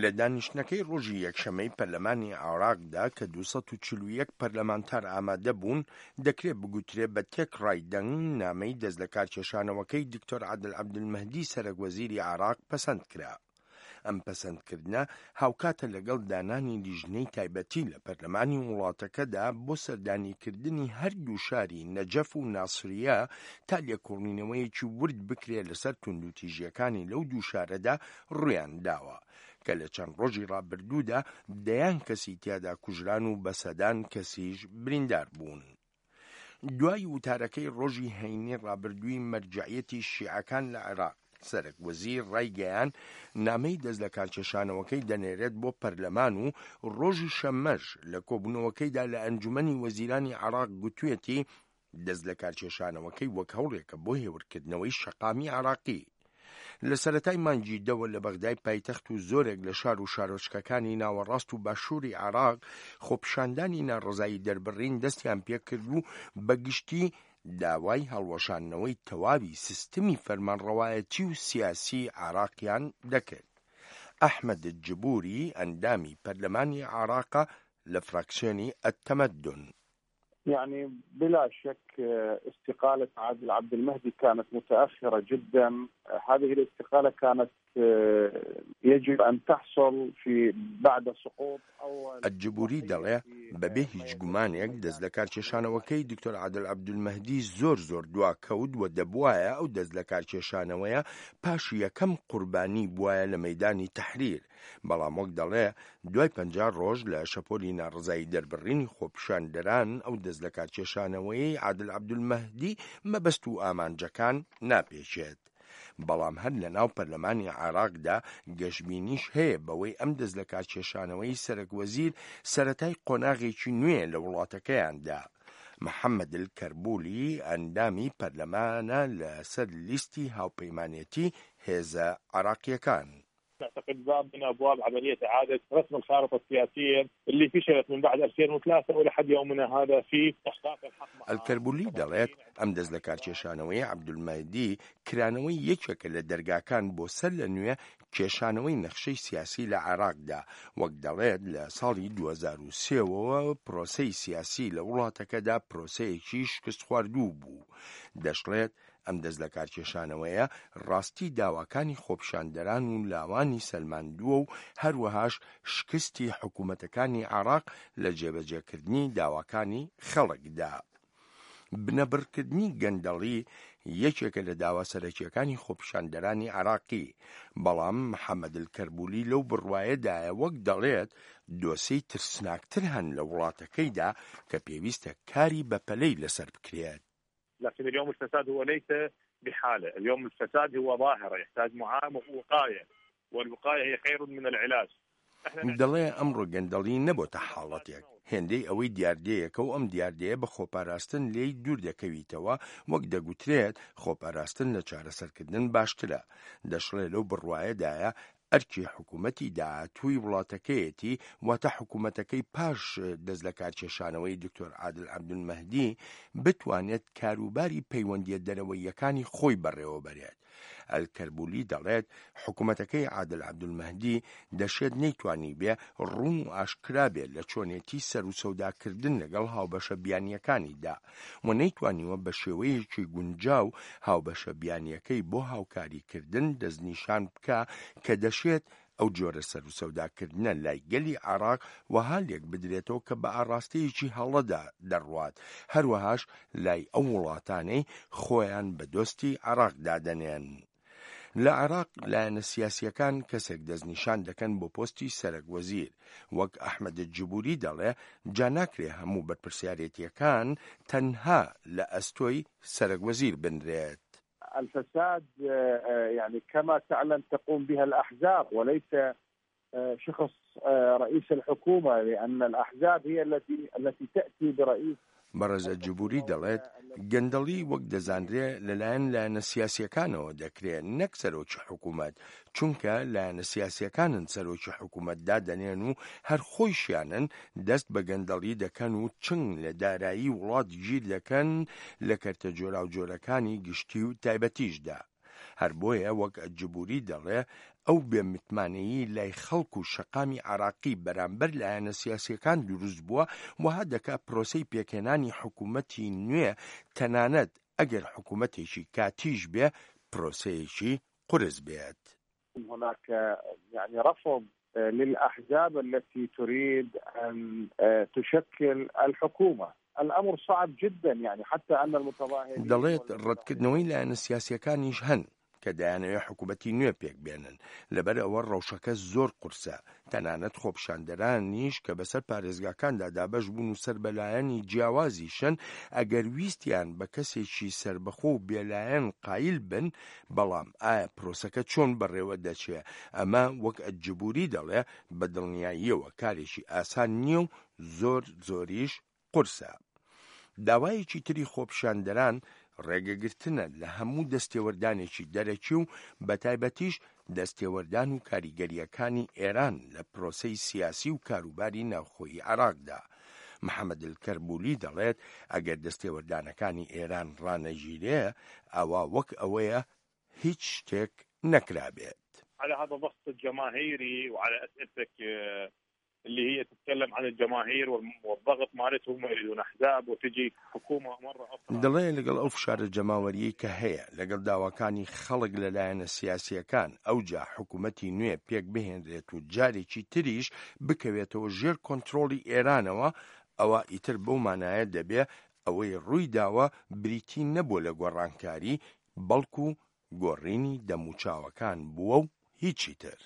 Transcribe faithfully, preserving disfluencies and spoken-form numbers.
لە دانیشتنەکەی ڕۆژی یەکشەممەی پەرلەمانی عێراقدا کە دوو سەد و چل و یەک پەرلەمانتار ئامادە بوون، دەکرێت بگوترێ بە تێکڕای دەنگ نامەی دەستلەکارکێشانەوەکەی دکتۆر عادل عەبدولمەهدی سەرەک وەزیری عێراق پەسەند کرا. ئەم پەسەندکردنە هاوکاتە لەگەڵ دانانی لیژنەی تایبەتی لە پەرلەمانی وڵاتەکەدا بۆ سەردانیکردنی هەردوو شاری نەجەف و ناسریە تا لێکۆڵینەوەیەکی ورد بکرێت لەسەر توندوتیژیەکانی لەو دوو شارەدا ڕوویان داوە کە لە چەند ڕۆژی ڕابردوودا دەیان کەسی تیادا کوژران و بە سەدان کەسیش بریندار بوون. دوای وتارەکەی ڕۆژی هەینی ڕابردووی مەرجەعیەتی شیعەکان لە عێراق، سەرەک وەزیر ڕایگەیاند نامەی دەستلەکارکێشانەوەکەی دەنێرێت بۆ پەرلەمان و ڕۆژی شەممەش لە کۆبوونەوەکەیدا لە ئەنجومەنی وەزیرانی عێراق گوتوێتی دەستلەکارکێشانەوەکەی وەک هەوڵێکە بۆ هێورکردنەوەی شەقامی عێراقی. لە سەرەتای مانگی دەوە لە بەغدای پایتەخت و زۆرێک لە شار و شارۆچکەکانی ناوەڕاست و باشووری عێراق خۆپیشاندانی ناڕەزایی دەربڕین دەستیان پێکرد و بەگشتی داوای هەڵوەشاندنەوەی تەواوی سیستمی فەرمانڕەوایەتی و سیاسی عێراقیان دەکرد. ئەحمەد جبوری ئەندامی پەرلەمانی عێراقە لە فراکسیۆنی التمدن. يعني بلا شك استقالة عادل عبد المهدي كانت متأخرة جدا. هذه الاستقالة كانت يجب أن تحصل في بعد سقوط أول الجبوری دەڵێ بەبێ هیچ گومانێک دەست لەکارکێشانەوەکەی دکتۆر عادل عەبدولمەهدی زۆر زۆر دواکەوت و دەبوایە ئەو دەست لەکارکێشانەوەیە پاش یەکەم قوربانی بوایە لە مەیدانی تەحریر، بەڵام وەک دەڵێ دوای پەنجا ڕۆژ لە شەپۆلی ناڕەزایی دەربڕینی خۆپیشاندەران ئەو دەست لەکارکێشانەوەیەی عادل عەبدولمەهدی مەبەست و ئامانجەکان ناپێچێت. بەڵام هەر لە ناو پەرلەمانی عێراقدا گەشبینیش هەیە بەوەی ئەم دەست لەکارکێشانەوەی سەرەک وەزیر سەرەتای قۆناغێکی نوێ لە وڵاتەکەیاندا. محەممەد الکەربولی ئەندامی پەرلەمانە لەسەر لیستی هاوپەیمانێتی هێزە عێراقیەکان. أعتقد باب من أبواب عملية إعادة رسم الخارطة السياسية اللي فشلت من بعد ألفين وثلاثة ولحد يومنا هذا في إحقاق الحق. الکەربولی دەڵێت ئەم دەست لەکارکێشانەوەی عەبدولمەهدی کرانەوەی یەکێکە لە دەرگاکان بۆ سەر لە نوێ کێشانەوەی نەخشەی سیاسی لە عێراقدا، وەک دەڵێت لە ساڵی دوو هەزار و سێوە پرۆسەی سیاسی لە وڵاتەکەدا پرۆسەیەکی شکستخواردوو بوو. دەشڵێت ئەم دەست لەکارکێشانەوەیە ڕاستی داواکانی خۆپیشاندەران و لاوانی سەلماندووە و هەروەهاش شکستی حکوومەتەکانی عێراق لە جێبەجێکردنی داواکانی خەڵکدا. بنەبڕکردنی گەندەڵی یەکێکە لە داوا سەرەکیەکانی خۆپیشاندەرانی عێراقی، بەڵام محەممەد الکەربولی لەو بڕوایەدایە وەک دەڵێت دۆسیەی ترسناکتر هەن لە وڵاتەکەیدا کە پێویستە کاری بەپەلەی لەسەر بکرێت. لكن اليوم الفساد هو ليس بحالة، اليوم الفساد هو ظاهرة يحتاج معاملة ووقاية، والوقاية هي خير من العلاج. دەڵێ ئەمڕۆ گەندەڵی نەبۆتە حاڵەتێک، هێندەی ئەوەی دیاردەیەکە و ئەم دیاردەیە بە خۆپاراستن لێی دوور دەکەویتەوە، وەک دەگوترێت خۆپاراستن لە چارەسەرکردن باشترە. دەشڵێ لەو بڕوایەدایە ئەرکی حکوومەتی داهاتووی وڵاتەکەیەتی، واتە حکوومەتەکەی پاش دەست لەکارکێشانەوەی دکتۆر عادل عەبدولمەهدی بتوانێت کاروباری پەیوەندیە دەرەوەیەکانی خۆی بەڕێوەبەرێت. ئەلکەربولی دەڵێت حکوومەتەکەی عادل عەبدولمەهدی دەشێت نەیتوانی بێ ڕوون و ئاشکرا بێت لە چۆنێتی سەر و سەوداکردن لەگەڵ هاوبەشە بیانیەکانیدا و نەیتوانیوە بە شێوەیەکی گونجاو هاوبەشە بیانیەکەی بۆ هاوکاریکردن دەستنیشان بکە کە دەشێت ئەو جۆرە سەر و سەوداکردنە لای گەلی عێراق وەها لێک بدرێتەوە کە بە ئاڕاستەیەکی هەڵەدا دەڕوات، هەروەهاش لای ئەو وڵاتانەی خۆیان بە دۆستی عێراق دادەنێن. لە عێراق لایەنە سیاسیەکان کەسێک دەستنیشان دەکەن بۆ پۆستی سەرەک وەزیر، وەک ئەحمەد جبوری دەڵێ جا ناکرێ هەموو بەرپرسیارێتیەکان تەنها لە ئەستۆی سەرەک وەزیر بنرێت. الفساد يعني كما تعلم تقوم بها الأحزاب وليس شخص رئيس الحكومة، لأن الأحزاب هي التي التي تأتي برئيس. بەڕێز جبوری دەڵێت گەندەڵی وەک دەزانرێ لەلایەن لایەنە سیاسیەکانەوە دەکرێت نەک سەرۆکی حکوومەت، چونکە لایەنە سیاسیەکانن سەرۆکی حکوومەت دادەنێن و هەر خۆیشیانن دەست بە گەندەڵی دەکەن و چنگ لە دارایی وڵات گیر دەکەن لە کەرتە جۆراوجۆرەکانی گشتی و تایبەتیشدا. هەر بۆیە وەک جبوری دەڵێ ئەو بێمتمانەیی لای خەڵک و شەقامی عێراقی بەرامبەر لایەنە سیاسیەکان دروست بووە، وەها دەکا پرۆسەی پێکهێنانی حکوومەتی نوێ تەنانەت ئەگەر حکوومەتێکی کاتیش بێ پرۆسەیەکی قورس بێت. هناك يعني رفض للأحزاب التي تريد أن تشكل الحكومة. الأمر صعب جدا، يعني حتى أن المتظاهرين دەڵێت ڕەتکردنەوەی لایەنە سیاسیەکانیش هەن کە دەیانەوێت حکوومەتی نوێ پێک بێنن، لەبەر ئەوە ڕەوشەکە زۆر قورسە. تەنانەت خۆپیشاندەرانیش کە بەسەر پارێزگاکاندا دابەش بوون و سەر بەلایەنی جیاوازیشن، ئەگەر ویستیان بە کەسێکی سربەخۆ و بێلایەن قایل بن، بەڵام ئایا پرۆسەکە چۆن بەڕێوە دەچێ؟ ئەمە وەک ئەلجبوری دەڵێ بە دڵنیاییەوە کارێکی ئاسان نییە و زۆر زۆریش قورسە. داوایەکی تری خۆپیشاندەران ڕێگەگرتنە لە هەموو دەستێوەردانێکی دەرەکی و بەتایبەتیش دەستێوەردان و کاریگەریەکانی ئێران لە پرۆسەی سیاسی و کاروباری ناوخۆیی عێراقدا. محەممەد الکەربولی دەڵێت ئەگەر دەستێوەردانەکانی ئێران ڕانەگیرێ ئەوە وەک ئەوەیە هیچ شتێک نەکرابێت. على هذا الضغط الجماهيري وعلى أسئلتك اللي هي تتكلم عن الجماهير والضغط مالتهم يريدون احزاب وتجي حكومه مره اخرى. دەڵێ لەگەڵ ئەو فشارە جەماوەریەی کە هەیە، لەگەڵ داواکانی خەڵک لە لایەنە سیاسیەکان، ئەوجا حکوومەتی نوێ پێک بهێنرێت و جارێکی تریش بکەوێتەوە ژێر کۆنترۆڵی ئێرانەوە، ئەوە ئیتر بەو مانایە دەبێ ئەوەی ڕووی داوە بریتی نەبووە لە گۆڕانکاری، بەڵکو گۆڕینی دەموچاوەکان بووە و هیچی تر.